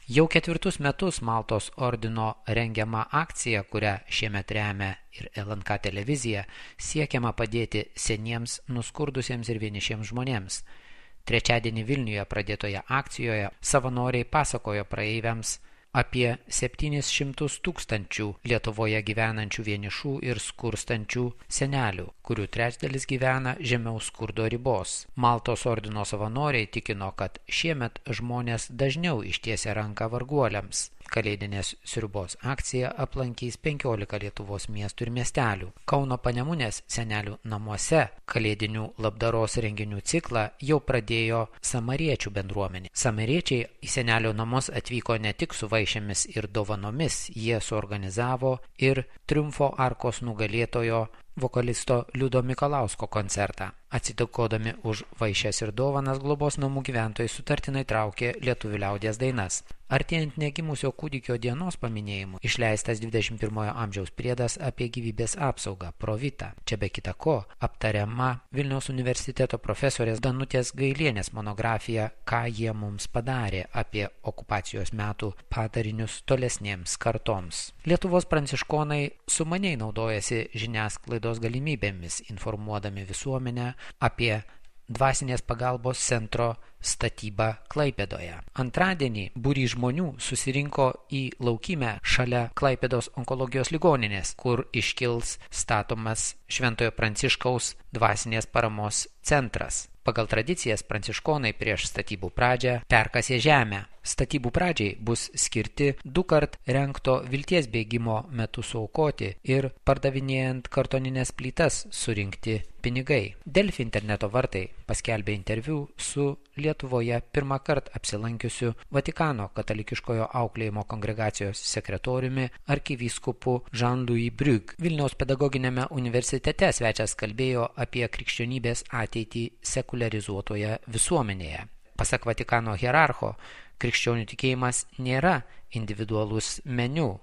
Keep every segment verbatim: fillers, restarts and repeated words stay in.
Jau ketvirtus metus Maltos ordino rengiama akcija, kurią šiemet remia ir L N K televizija, siekiama padėti seniems, nuskurdusiems ir vienišiems žmonėms. Trečiadienį Vilniuje pradėtoje akcijoje savanoriai pasakojo praeiviams apie septynis šimtus tūkstančių Lietuvoje gyvenančių vienišų ir skurstančių senelių, kurių trečdalis gyvena žemiau skurdo ribos. Maltos ordino savanoriai tikino, kad šiemet žmonės dažniau ištiesia ranką varguoliams. Kalėdinės sriubos akcija aplankys penkiolika Lietuvos miestų ir miestelių. Kauno Panemunės senelių namuose kalėdinių labdaros renginių ciklą jau pradėjo samariečių bendruomenė. Samariečiai į senelių namus atvyko ne tik su vaišėmis ir dovanomis, jie suorganizavo ir Triumfo arkos nugalėtojo vokalisto Liudo Mikalausko koncertą. Atsidėkodami už vaišes ir dovanas, globos namų gyventojai sutartinai traukė lietuvių liaudies dainas. Artėjant negimusio kūdikio dienos paminėjimui išleistas dvidešimt pirmojo amžiaus priedas apie gyvybės apsaugą Provita. Čia be kita ko aptariama Vilniaus universiteto profesorės Danutės Gailienės monografija Ką jie mums padarė apie okupacijos metų padarinius tolesnėms kartoms. Lietuvos pranciškonai sumaniai naudojasi žiniasklaidos galimybėmis, informuodami visuomenę apie dvasinės pagalbos centro statybą Klaipėdoje. Antradienį būrys žmonių susirinko į laukymę šalia Klaipėdos onkologijos ligoninės, kur iškils statomas Šventojo Pranciškaus dvasinės paramos centras. Pagal tradicijas pranciškonai prieš statybų pradžią perkasė žemę. Statybų pradžiai bus skirti du kart rengto vilties bėgimo metu suaukoti ir pardavinėjant kartoninės plytas surinkti pinigai. Delfi interneto vartai paskelbė interviu su Lietuvoje pirmą kartą apsilankiusiu Vatikano katalikiškojo auklėjimo kongregacijos sekretoriumi arkivyskupu Jean-Louis Brugge. Vilniaus pedagoginėme universitete svečias kalbėjo apie krikščionybės ateitį sekuliarizuotoje visuomenėje. Pasak Vatikano hierarcho, krikščionių tikėjimas nėra individualus meniu.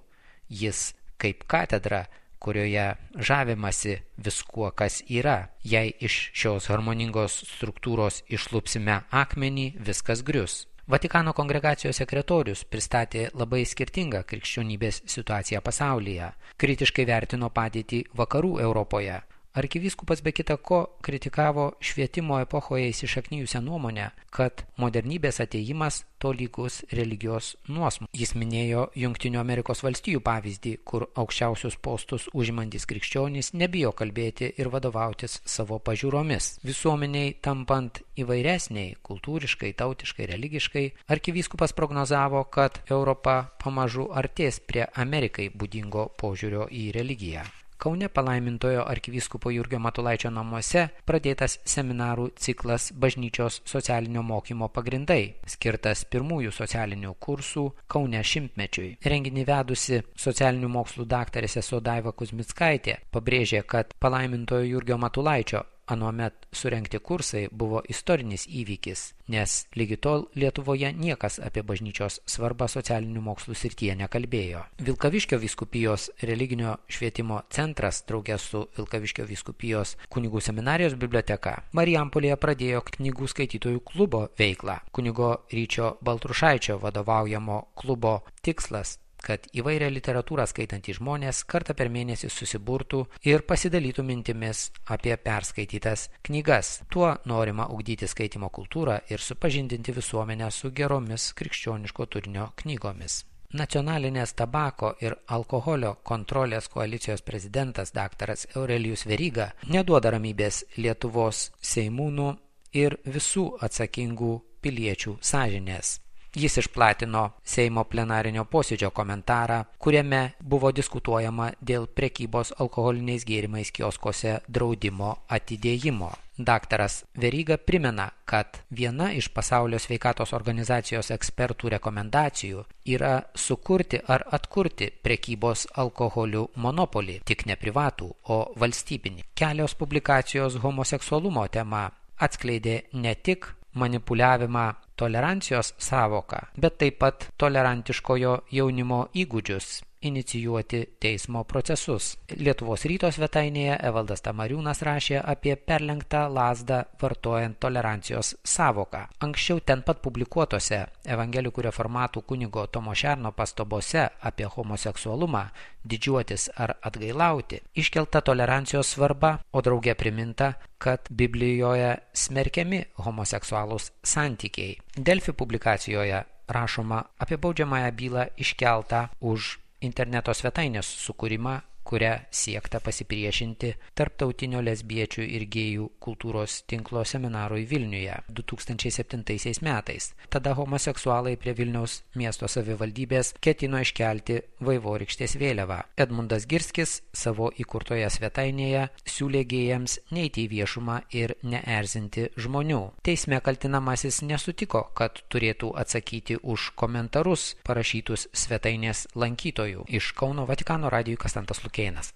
Jis kaip katedra, kurioje žavimasi viskuo, kas yra. Jei iš šios harmoningos struktūros išlupsime akmenį, viskas grius. Vatikano kongregacijos sekretorius pristatė labai skirtingą krikščionybės situaciją pasaulyje. Kritiškai vertino padėtį vakarų Europoje. Arkivyskupas be kita ko kritikavo švietimo epochoje įsišaknijusią nuomonę, kad modernybės atėjimas tolygus religijos nuosmukį. Jis minėjo Jungtinių Amerikos valstijų pavyzdį, kur aukščiausius postus užimantys krikščionys nebijo kalbėti ir vadovautis savo pažiūromis. Visuomeniai tampant įvairesniai, kultūriškai, tautiškai, religiškai, arkivyskupas prognozavo, kad Europa pamažu artės prie Amerikai būdingo požiūrio į religiją. Kaune palaimintojo arkivyskupo Jurgio Matulaičio namuose pradėtas seminarų ciklas Bažnyčios socialinio mokymo pagrindai, skirtas pirmųjų socialinių kursų Kaune šimtmečiui. Renginį vedusi socialinių mokslų daktarė sesuo Daiva Kuzmickaitė pabrėžė, kad palaimintojo Jurgio Matulaičio anuomet surengti kursai buvo istorinis įvykis, nes lygi tol Lietuvoje niekas apie bažnyčios svarbą socialinių mokslų srityje nekalbėjo. Vilkaviškio vyskupijos religinio švietimo centras drauge su Vilkaviškio vyskupijos kunigų seminarijos biblioteka Marijampolėje pradėjo knygų skaitytojų klubo veiklą. Kunigo Ryčio Baltrušaičio vadovaujamo klubo tikslas, kad įvairią literatūrą skaitantys žmonės kartą per mėnesį susiburtų ir pasidalytų mintimis apie perskaitytas knygas. Tuo norima ugdyti skaitimo kultūrą ir supažindinti visuomenę su geromis krikščioniško turinio knygomis. Nacionalinės tabako ir alkoholio kontrolės koalicijos prezidentas daktaras Aurelijus Veryga neduoda ramybės Lietuvos seimūnų ir visų atsakingų piliečių sąžinės. Jis išplatino Seimo plenarinio posėdžio komentarą, kuriame buvo diskutuojama dėl prekybos alkoholiniais gėrimais kioskose draudimo atidėjimo. Daktaras Veryga primena, kad viena iš Pasaulio sveikatos organizacijos ekspertų rekomendacijų yra sukurti ar atkurti prekybos alkoholiu monopolį, tik ne privatų, o valstybinį. Kelios publikacijos homoseksualumo tema atskleidė ne tik manipuliavimą tolerancijos sąvoką, bet taip pat tolerantiškojo jaunimo įgūdžius inicijuoti teismo procesus. Lietuvos ryto svetainėje Evaldas Tamariūnas rašė apie perlenktą lazdą vartojant tolerancijos sąvoką. Anksčiau ten pat publikuotose evangelikų reformatų kunigo Tomo Šerno pastabose apie homoseksualumą, didžiuotis ar atgailauti, iškelta tolerancijos svarba, o drauge priminta, kad Biblijoje smerkiami homoseksualūs santykiai. Delfi publikacijoje rašoma apie baudžiamąją bylą iškeltą už interneto svetainės sukūrimą, kuria siekta pasipriešinti tarptautinio lesbiečių ir gėjų kultūros tinklo seminarui Vilniuje du tūkstančiai septintaisiais metais. Tada homoseksualai prie Vilniaus miesto savivaldybės ketino iškelti vaivorykštės vėliavą. Edmundas Girskis savo įkurtoje svetainėje siūlė gėjams neiti į viešumą ir neerzinti žmonių. Teisme kaltinamasis nesutiko, kad turėtų atsakyti už komentarus parašytus svetainės lankytojų. Iš Kauno Vatikano radijui Kastantas Lukėnas.